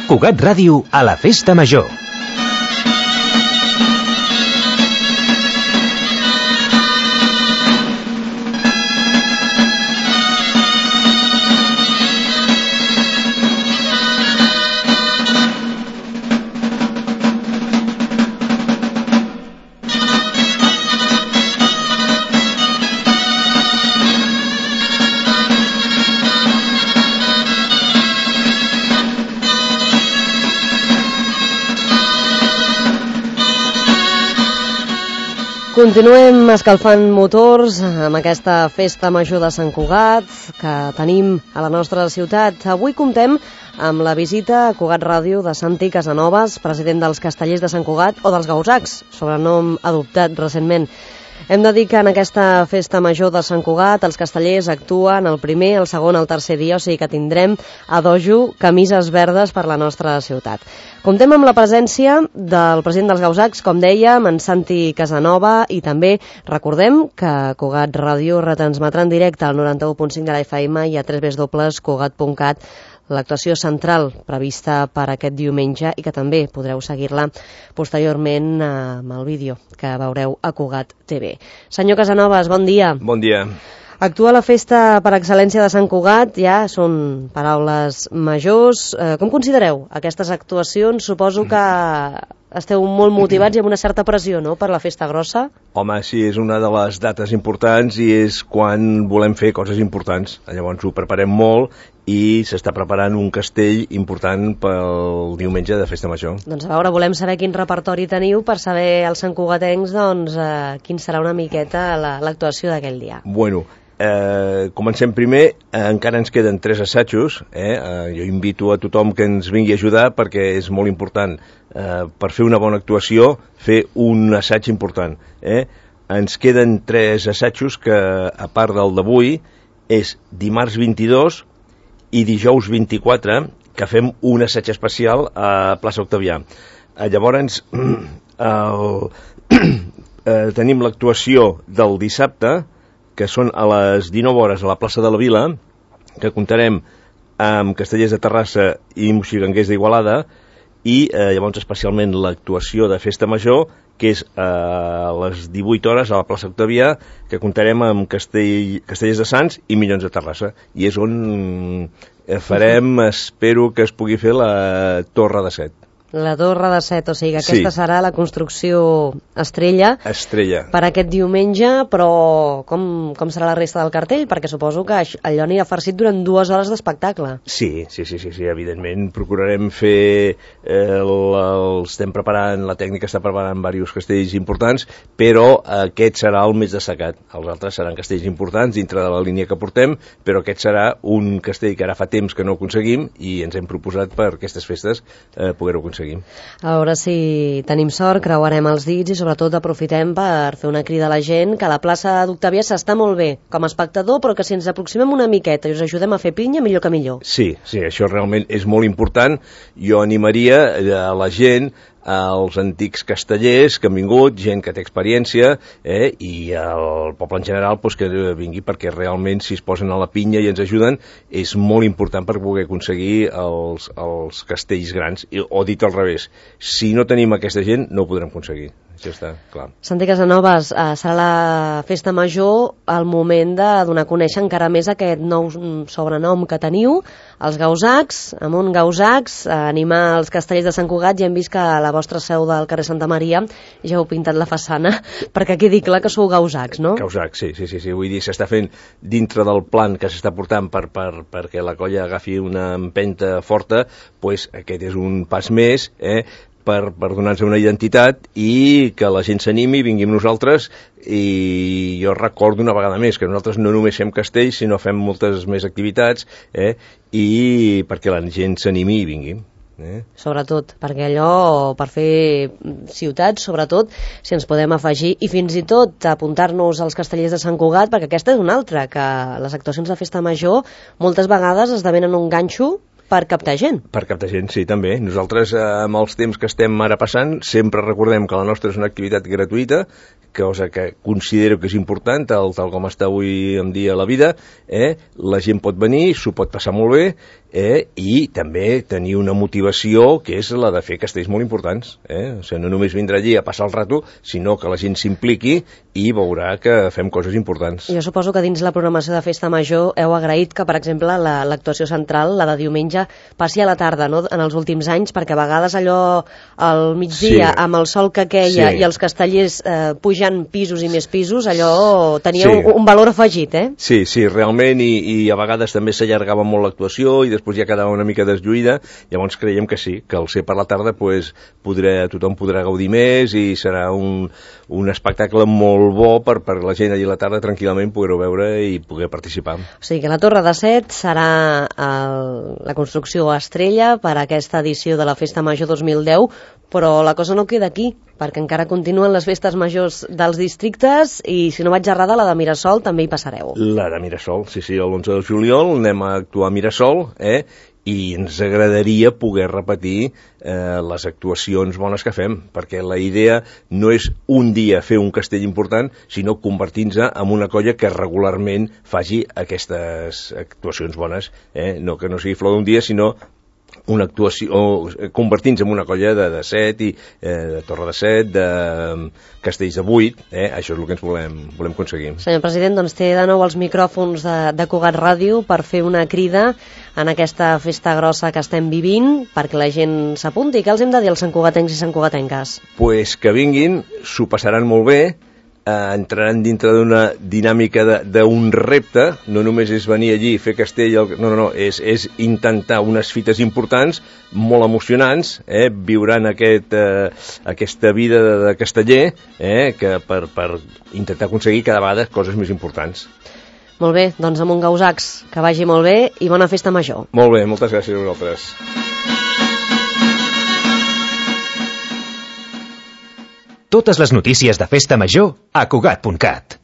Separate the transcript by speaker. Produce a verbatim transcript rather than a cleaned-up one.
Speaker 1: Cugat Ràdio a la Festa Major.
Speaker 2: Continuem escalfant motors amb aquesta festa major de Sant Cugat que tenim a la nostra ciutat. Avui comptem amb la visita a Cugat Ràdio de Santi Casanovas, president dels Castellers de Sant Cugat, o dels Gausacs, sobrenom adoptat recentment. Hem de dir que en aquesta festa major de Sant Cugat els castellers actuen el primer, el segon, el tercer dia, o sigui que tindrem a dojo camises verdes per la nostra ciutat. Comptem amb la presència del president dels Gausacs, com dèiem, en Santi Casanova, i també recordem que Cugat Ràdio retransmetrà en directe al noranta-u punt cinc de la F M i a w w w punt cugat punt cat l'actuació central prevista per aquest diumenge i que també podreu seguir-la posteriorment amb el vídeo que veureu a Cugat T V. Senyor Casanovas, bon dia.
Speaker 3: Bon dia.
Speaker 2: Actua la festa per excel·lència de Sant Cugat, ja són paraules majors. Com considereu aquestes actuacions? Suposo que esteu molt motivats i amb una certa pressió, no?, per la festa grossa.
Speaker 3: Home, sí, és una de les dates importants i és quan volem fer coses importants. Llavors ho preparem molt i s'està preparant un castell important pel diumenge de Festa Major.
Speaker 2: Doncs a veure, volem saber quin repertori teniu per saber els santcugatencs doncs, eh, quin serà una miqueta l'actuació d'aquell dia.
Speaker 3: Bueno, eh, comencem primer, eh, encara ens queden tres assajos, eh? Eh, jo invito a tothom que ens vingui a ajudar perquè és molt important, eh, per fer una bona actuació, fer un assaig important. Eh? Ens queden tres assajos que, a part del d'avui, és dimarts vint-i-dos i dijous vint-i-quatre, que fem un assaig especial a plaça Octavià. Eh, llavors, el, eh, tenim l'actuació del dissabte, que són a les dinou hores a la plaça de la Vila, que comptarem amb Castellers de Terrassa i Moixiganguers d'Igualada, i eh, llavors especialment l'actuació de Festa Major, que és a les divuit hores a la plaça Octavià, que comptarem amb Castell, Castellers de Sants i Minyons de Terrassa. I és on farem, espero que es pugui fer la Torre de Set.
Speaker 2: La Torre de Set, o sigui que aquesta sí. serà la construcció estrella,
Speaker 3: estrella
Speaker 2: per aquest diumenge, però com, com serà la resta del cartell? Perquè suposo que allò anirà farcit durant dues hores d'espectacle.
Speaker 3: Sí, sí, sí, sí, sí, evidentment procurarem fer, eh, el, el, estem preparant, la tècnica està preparant diversos castells importants, però aquest serà el més destacat. Els altres seran castells importants dintre de la línia que portem, però aquest serà un castell que ara fa temps que no aconseguim i ens hem proposat per aquestes festes eh, poder-ho aconseguir.
Speaker 2: A veure si tenim sort, creuarem els dits i sobretot aprofitem per fer una crida a la gent que a la plaça d'Octavià s'està molt bé com a espectador, però que si ens aproximem una miqueta i us ajudem a fer pinya, millor que millor.
Speaker 3: Sí, sí, això realment és molt important. Jo animaria a la gent, als antics castellers que han vingut, gent que té experiència, eh, i el poble en general pues, que vingui, perquè realment si es posen a la pinya i ens ajuden és molt important per poder aconseguir els, els castells grans, o dit al revés, si no tenim aquesta gent no ho podrem aconseguir. Això està clar.
Speaker 2: Santi Casanovas, eh, serà la festa major el moment de donar a conèixer encara més aquest nou sobrenom que teniu, els Gausacs, amb un Gausacs, eh, animar els castellers de Sant Cugat. Ja hem vist que a la vostra seu del carrer Santa Maria ja heu pintat la façana, perquè quedi clar que sou Gausacs, no?
Speaker 3: Gausacs, sí, sí, sí, sí. Vull dir, s'està fent dintre del plan que s'està portant per, per, perquè la colla agafi una empenta forta, pues aquest és un pas més, eh, per, per donar-nos una identitat i que la gent s'animi, vingui amb nosaltres. I jo recordo una vegada més que nosaltres no només fem castells, sinó fem moltes més activitats, eh, i perquè la gent s'animi i vingui. Eh?
Speaker 2: Sobretot, perquè allò, per fer ciutats, sobretot, si ens podem afegir, i fins i tot apuntar-nos als castellers de Sant Cugat, perquè aquesta és una altra, que les actuacions de Festa Major moltes vegades esdevenen un ganxo per captar gent.
Speaker 3: Per captar gent, sí, també. Nosaltres, eh, amb els temps que estem ara passant, sempre recordem que la nostra és una activitat gratuïta, cosa que considero que és important, tal, tal com està avui en dia la vida, eh? La gent pot venir, s'ho pot passar molt bé, eh? I també tenir una motivació que és la de fer castells molt importants. Eh? O sigui, no només vindrà allí a passar el rato, sinó que la gent s'impliqui i veurà que fem coses importants.
Speaker 2: Jo suposo que dins la programació de Festa Major heu agraït que, per exemple, l'actuació la, central, la de diumenge, passi a la tarda, no?, en els últims anys, perquè a vegades allò al migdia, sí, amb el sol que queia, sí, i els castellers eh, pujant pisos i més pisos, allò tenia, sí, un, un valor afegit, eh?
Speaker 3: Sí, sí, realment, i, i a vegades també s'allargava molt l'actuació i després ja quedava una mica deslluïda, llavors creiem que sí, que al ser per la tarda pues, podrà, tothom podrà gaudir més i serà un, un espectacle molt bo per, per la gent allà a la tarda tranquil·lament poder-ho veure i poder participar.
Speaker 2: O sigui que la Torre de Set serà el, la construcció estrella per a aquesta edició de la Festa Major dos mil deu, però la cosa no queda aquí, perquè encara continuen les festes majors dels districtes i, si no vaig errada, la de Mirasol també hi passareu.
Speaker 3: La de Mirasol, sí, sí, l'onze de juliol anem a actuar a Mirasol, eh? I ens agradaria poder repetir eh, les actuacions bones que fem, perquè la idea no és un dia fer un castell important, sinó convertir-nos en una colla que regularment faci aquestes actuacions bones, eh? No que no sigui flor d'un dia, sinó una actuació, o convertint-se en una colla de, de set, i, eh, de Torre de Set, de um, castells de vuit, eh? Això és el que ens volem, volem aconseguir.
Speaker 2: Senyor president, doncs té de nou els micròfons de, de Cugat Ràdio per fer una crida en aquesta festa grossa que estem vivint, perquè la gent s'apunti. Què els hem de dir als santcugatencs i santcugatenques?
Speaker 3: Pues que vinguin, s'ho passaran molt bé, eh, entraran dintre d'una dinàmica d'un repte, no només és venir allí i fer castell, no, no, no, és, és intentar unes fites importants, molt emocionants, eh, viuran aquest, eh, aquesta vida de, de casteller, eh, que per, per intentar aconseguir cada vegada coses més importants.
Speaker 2: Molt bé, doncs amb un gausacs, que vagi molt bé i bona festa major.
Speaker 3: Molt bé, moltes gràcies a vosaltres.
Speaker 1: Totes les notícies de Festa Major a Cugat punt cat.